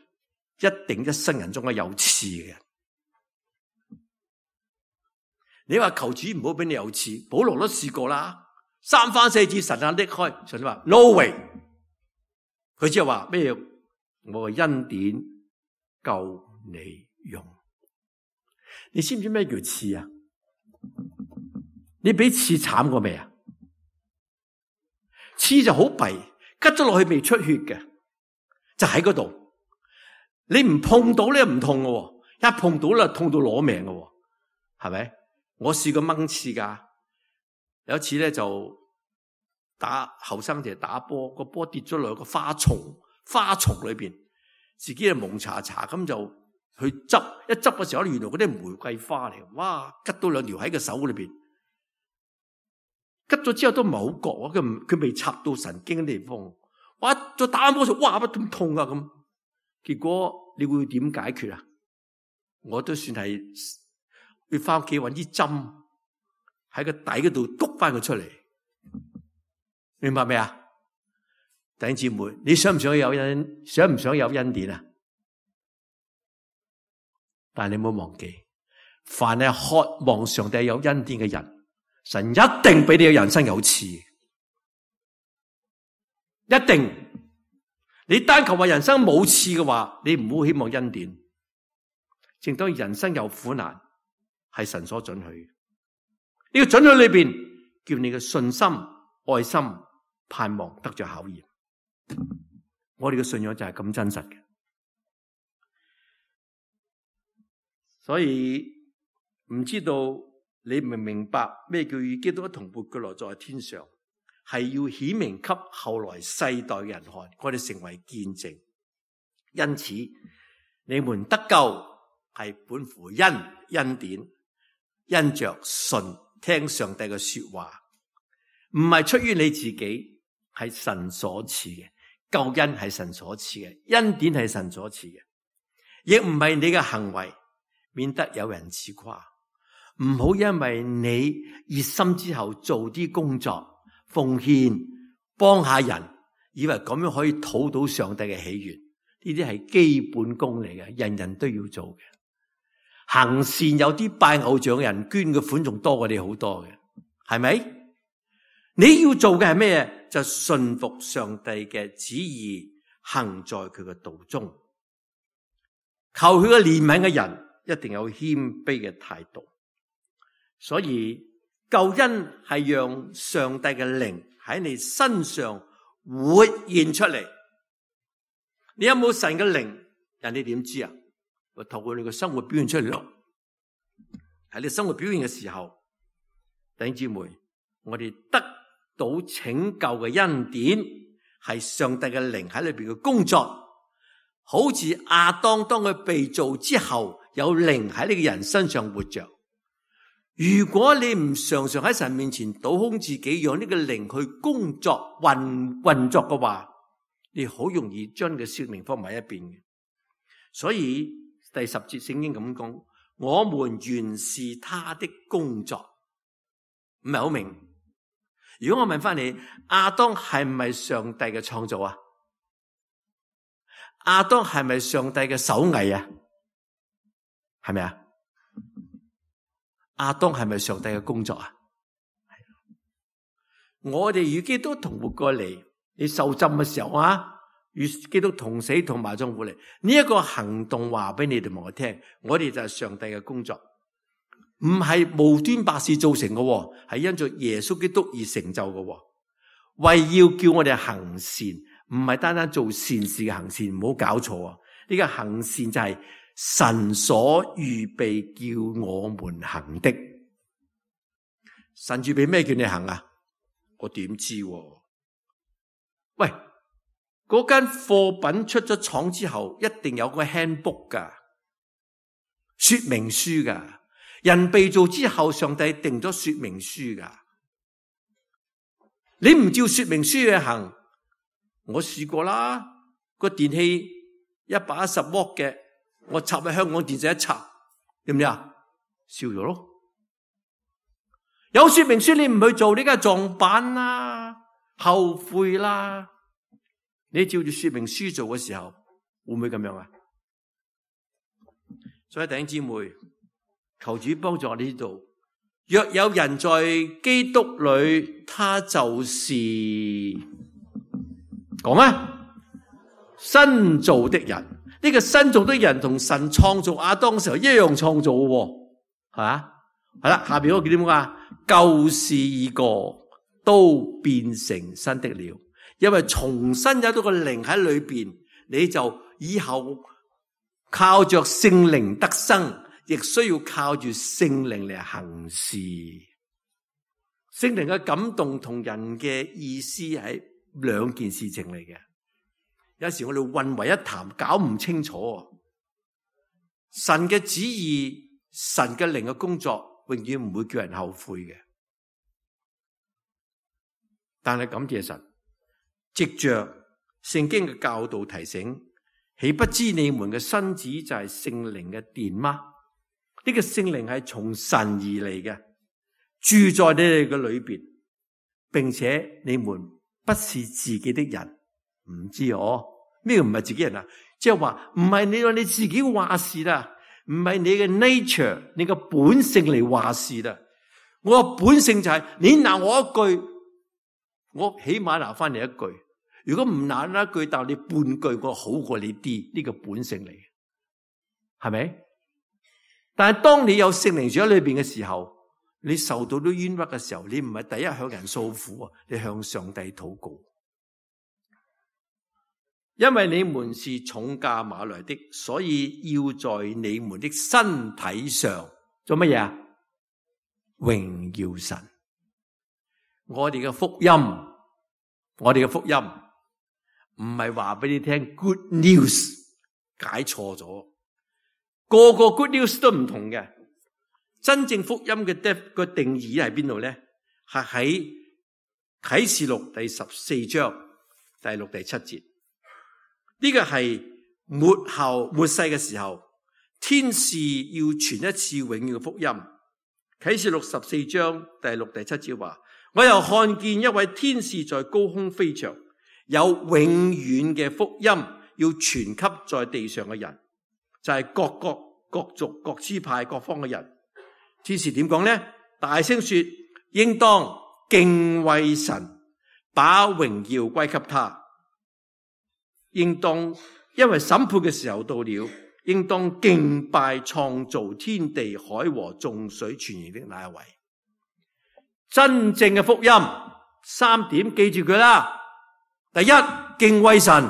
一定一生人中嘅有賜嘅人。你話求主唔好俾你有賜，保羅都試過啦。三番四次神啊拎開，神話 no way， 佢只係話咩？我嘅恩典夠你用。你知唔知咩叫刺啊？你比刺慘過未啊？刺就好弊，拮咗落去未出血嘅，就喺嗰度。你唔碰到咧唔痛嘅，一碰到咧痛到攞命嘅，係咪？我試過掹刺噶。有一次咧就打後生仔打波，個波跌咗落個花叢花叢裏邊，自己就蒙查查咁就去執，一執嘅時候原來嗰啲玫瑰花嚟，哇！拮到兩條喺個手裏邊，拮咗之後都唔係好覺，佢佢未插到神經嘅地方，哇！再打波就哇乜咁痛啊咁，結果你會點解決啊？我都算係要翻屋企搵啲針。喺個底嗰度篤翻佢出嚟，明白未啊？弟兄姊妹，你想唔想有恩？想唔想有恩典啊？但係你唔好忘記，凡係渴望上帝有恩典嘅人，神一定俾你嘅人生有賜，一定。你單求話人生冇賜嘅話，你唔好希望恩典。正當人生有苦難，係神所准許。呢個准許裏邊，叫你嘅信心、愛心、盼望得着考驗。我哋嘅信仰就係咁真實嘅，所以唔知道你明唔明白咩叫與基督一同活過來在天上，係要顯明給後來世代嘅人看，我哋成為見證。因此，你們得救係本乎恩恩典，因着信。聽上帝嘅說話，唔係出於你自己，係神所賜嘅。救恩係神所賜嘅，恩典係神所賜嘅，亦唔係你嘅行為，免得有人自誇。唔好因為你熱心之後做啲工作奉獻幫下人，以為咁樣可以討到上帝嘅喜悅。呢啲係基本功嚟嘅，人人都要做嘅。行善有啲拜偶像嘅人捐嘅款仲多過你好多嘅，係咪？你要做嘅係咩？就順服上帝嘅旨意，行在佢嘅道中，求佢嘅憐憫嘅人一定有謙卑嘅態度。所以救恩係讓上帝嘅靈喺你身上活現出嚟。你有冇神嘅靈？人哋點知啊？我透過你嘅生活表現出嚟咯。喺你生活表現嘅時候，弟兄姊妹，我哋得到拯救嘅恩典係上帝嘅靈喺裏邊嘅工作。好似亞當當佢被造之後，有靈喺你嘅人身上活着。如果你唔常常喺神面前倒空自己，讓呢個靈去工作運運作嘅話，你好容易將你嘅生命放埋一邊嘅。所以第十節聖經咁講，我們原是他的工作，唔係好明。如果我問翻你，亞當係唔係上帝嘅創造啊？亞當係咪上帝嘅手藝啊？係咪啊？亞當係咪上帝嘅工作啊？我哋與基督同活過嚟，你受浸嘅時候啊，與基督同死同埋葬活嚟，呢一個行動話俾你哋同我聽，我哋就係上帝嘅工作，唔係無端白事造成嘅，係因着耶穌基督而成就嘅，為要叫我哋行善，唔係單單做善事嘅行善，唔好搞錯啊！呢個行善就係神所預備叫我們行的。神預備咩叫你行啊？我點知啊？喂，嗰間貨品出咗廠之後，一定有個 handbook 噶，說明書噶。人被造之後，上帝定咗說明書噶。你唔照說明書去行，我試過啦。個電器一百一十瓦嘅，我插喺香港電視一插，點唔點啊？燒咗咯。有說明書你唔去做，你梗係撞板啦，後悔啦。你照住說明書做嘅時候，會唔會咁樣啊？所以弟兄姊妹，求主幫助我哋呢度。若有人在基督裏，他就是講啊，新造的人。呢個新造的人同神創造亞當嘅時候一樣創造嘅，係嘛？係啦，下邊嗰個叫點啊？舊事已過，都變成新的了。因為重新有咗個靈喺裏邊，你就以後靠着聖靈得生，亦需要靠住聖靈嚟行事。聖靈嘅感動同人嘅意思係兩件事情嚟嘅。有時我哋混為一談，搞唔清楚。神嘅旨意，神嘅靈嘅工作，永遠唔會叫人後悔嘅。但係感謝神，藉着聖經嘅教導提醒，豈不知你們嘅身子就係聖靈嘅殿嗎？呢個聖靈係從神而嚟嘅，住在你哋嘅裏邊，並且你們不是自己的人。唔知哦，咩唔係自己人啊？即係話唔係你話你自己話事啦，唔係你嘅 nature， 你嘅本性嚟話事啦。我嘅本性就係、是、你鬧我一句，我起碼鬧翻你一句。如果唔鬧一句，但你半句，我好過你啲，呢、這個本性嚟嘅，係咪？但係當你有聖靈住喺裏邊嘅時候，你受到啲冤屈嘅時候，你唔係第一向人訴苦啊，你向上帝禱告。因為你們是重價買來的，所以要在你們的身體上做乜嘢啊？榮耀神。我哋嘅福音，我哋嘅福音唔係話俾你聽 good news， 解錯咗。個個 good news 都唔同嘅。真正福音嘅 def 個定義喺邊度咧？係喺啟示錄第十四章第六、第七節。呢個係末後末世嘅時候，天使要傳一次永遠嘅福音。啟示錄十四章第六、第七節話：我又看見一位天使在高空飛翔，有永遠嘅福音要傳給在地上嘅人，就係、是、各國、各族、各支派、各方嘅人。天使點講呢？大聲說：應當敬畏神，把榮耀歸給他。應當因為審判嘅時候到了，應當敬拜創造天地海和眾水泉源的那一位。真正嘅福音三點，記住佢啦。第一，敬畏神。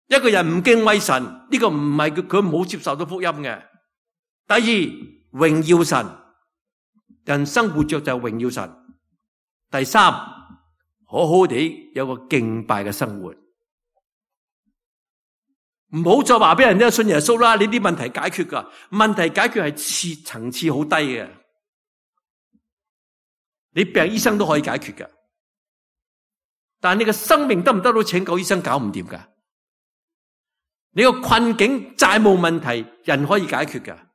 一個人唔敬畏神，呢、這個唔係佢佢冇接受到福音嘅。第二，榮耀神。人生活着就榮耀神。第三，好好地有個敬拜嘅生活。唔好再話俾人聽信耶穌啦，你啲問題解決噶。問題解決係次層次好低嘅，你病醫生都可以解決噶，但係你嘅生命得唔得到拯救？醫生搞唔掂噶。你個困境債務問題人可以解決噶，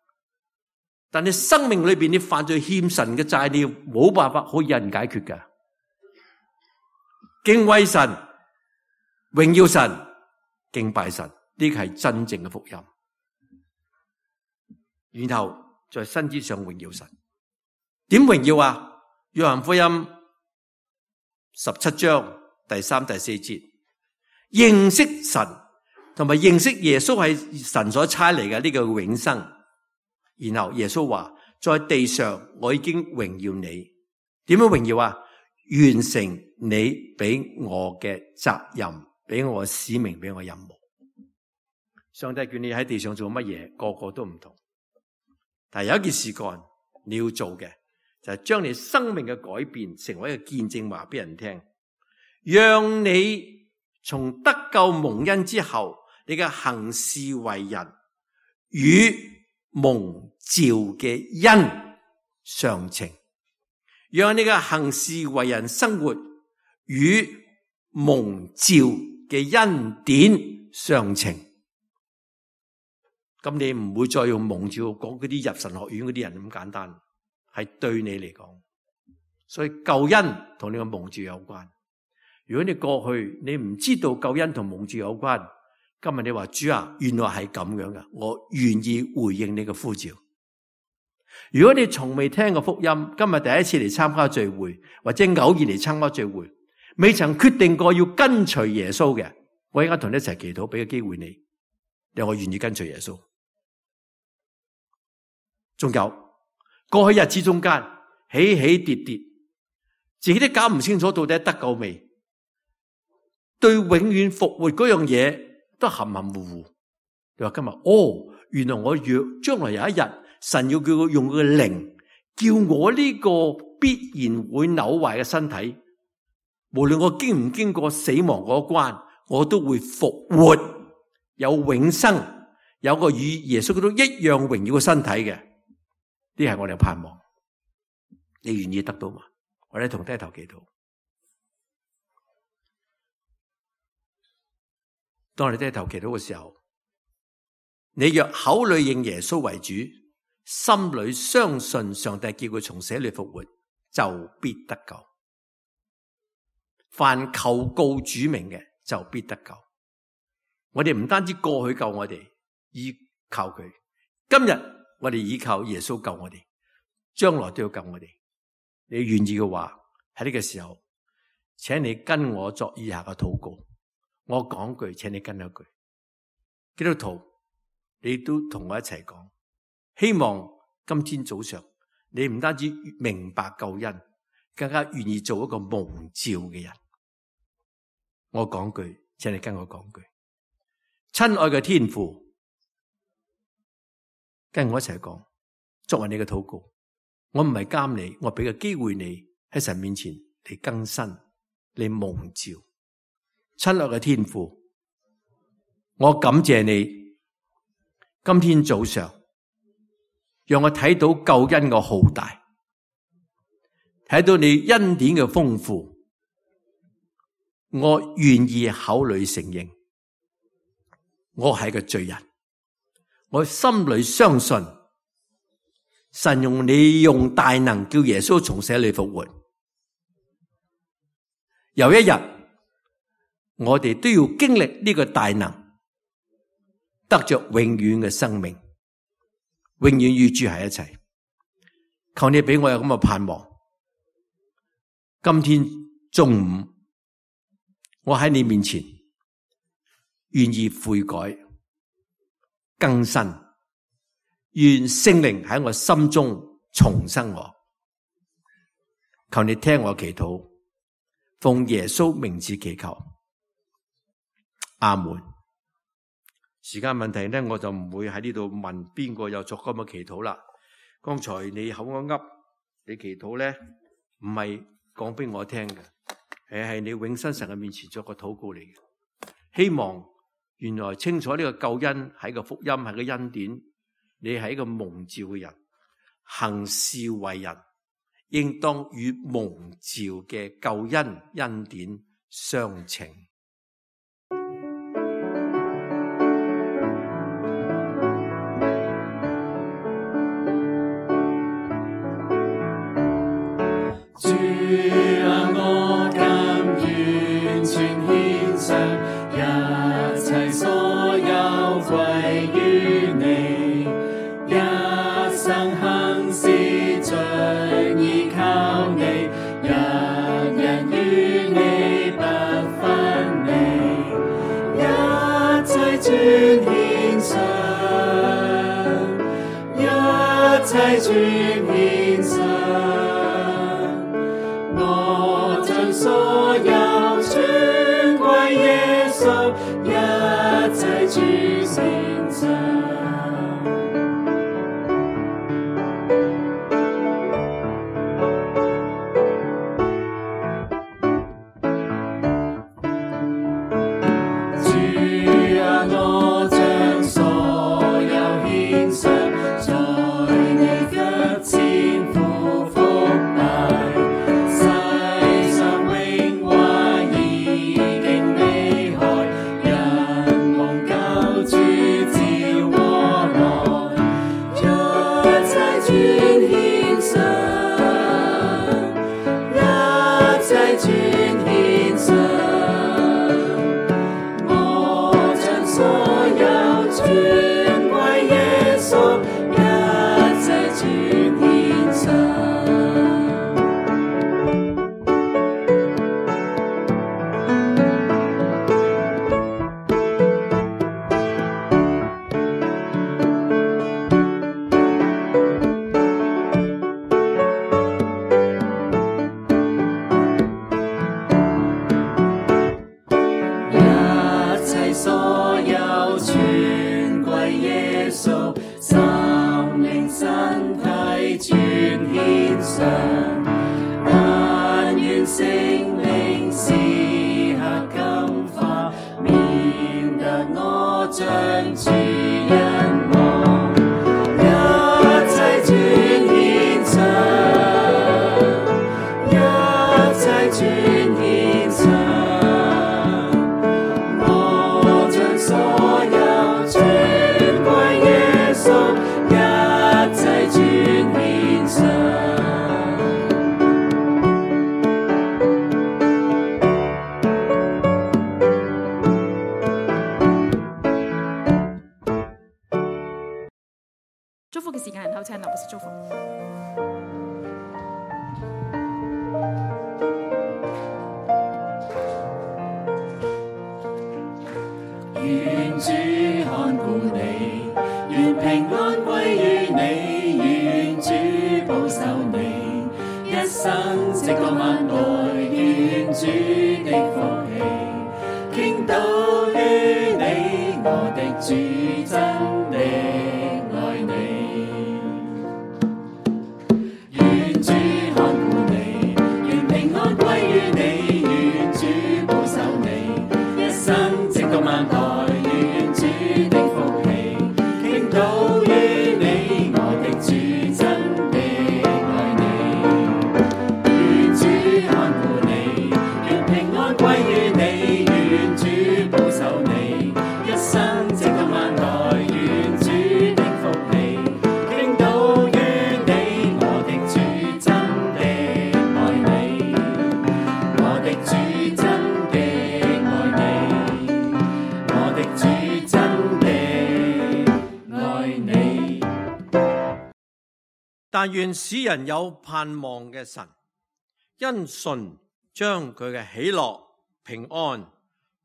但你生命裏邊你犯罪欠神嘅債，你冇辦法可以有人解決噶。敬畏神、榮耀神、敬拜神。呢個係真正嘅福音，然後在身之上榮耀神。點榮耀啊？約翰福音十七章第三、第四節，認識神同埋認識耶穌係神所差嚟嘅呢個永生。然後耶穌話：在地上我已經榮耀你。點樣榮耀啊？完成你俾我嘅責任，俾我嘅使命，俾我嘅任務。上帝叫你喺地上做乜嘢，個個都唔同。但係有一件事幹，你要做嘅就係將你生命嘅改變成為一個見證，話俾人聽，讓你從得救蒙恩之後，你嘅行事為人與蒙召嘅恩相稱，讓你嘅行事為人生活與蒙召嘅恩典相稱。咁你唔會再用蒙召講嗰啲入神學院嗰啲人咁簡單，係對你嚟講。所以救恩同你個蒙召有關。如果你過去你唔知道救恩同蒙召有關，今日你話主啊，原來係咁樣噶，我願意回應你嘅呼召。如果你從未聽過福音，今日第一次嚟參加聚會，或者偶然嚟參加聚會，未曾決定過要跟隨耶穌嘅，我而家同你一齊祈禱，俾個機會你，讓我願意跟隨耶穌。仲有過去日子中間起起跌跌，自己都搞唔清楚到底得救未，對永遠復活嗰樣嘢都含含糊糊。你話今日哦，原來我若將來有一日，神要叫我用佢嘅靈，叫我呢個必然會朽壞嘅身體，無論我經唔經過死亡嗰關，我都會復活，有永生，有個與耶穌基督一樣榮耀嘅身體嘅。呢係我哋嘅盼望，你願意得到嘛？我哋同低頭祈禱。當我哋低頭祈禱嘅時候，你若口裏認耶穌為主，心裏相信上帝叫佢從死裏復活，就必得救。凡求告主名嘅，就必得救。我哋唔單止過去救我哋，依靠佢，今日我哋依靠耶穌救我哋，將來都要救我哋。你願意嘅話，喺呢個時候，請你跟我作以下嘅禱告。我講句，請你跟一句。基督徒，你都同我一齊講。希望今天早上，你唔單止明白救恩，更加願意做一個蒙召嘅人。我講句，請你跟我講句。親愛嘅天父，跟我一齊講，作為你嘅禱告，我唔係監你，我俾個機會你喺神面前嚟更新，你蒙召。親愛嘅天父，我感謝你，今天早上讓我睇到救恩嘅浩大，睇到你恩典嘅豐富，我願意口裏承認，我係個罪人，我心裏相信神用你用大能叫耶穌從死裏復活。有一日我哋都要經歷呢個大能，得着永遠嘅生命，永遠與主喺一齊。求你俾我有咁嘅盼望。今天中午我喺你面前願意悔改更新，願聖靈喺我心中重生我。求你聽我祈禱，奉耶穌名字祈求，阿門。時間問題呢，我就唔會喺呢度問邊個有作咁嘅祈禱啦。剛才你口噏噏，你祈禱呢唔係講俾我聽嘅，係係你永生神嘅面前作個禱告嚟嘅。希望原來清楚呢個救恩係個福音，係個恩典，你係一個蒙召嘅人，行事為人應當與蒙召嘅救恩恩典相稱。主啊，我甘願全獻上，一切所有歸於你，一生行事盡依靠你，日日與你不分離，一切全獻上，一切全獻上。所有全歸耶穌，一切全獻上。主啊，我將所有獻上，在你腳前俯伏拜。祝福嘅時間，人口請劉牧師祝福。願主看顧你，願平安歸於你，願主保守你，一生直到萬代，願主的福氣傾倒於你，我的主真的愛你。願主看顧你，願平安歸於你，願主保守你，一生直到萬代。主但願使人有盼望嘅神，因信將佢嘅喜樂平安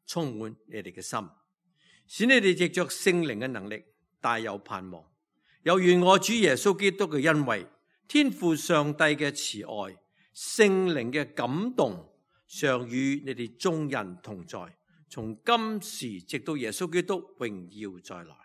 充滿你哋嘅心，使你哋藉着聖靈嘅能力大有盼望。又願我主耶穌基督嘅恩惠、天父上帝嘅慈愛、聖靈嘅感動，常與你哋眾人同在，從今時直到耶穌基督榮耀再來。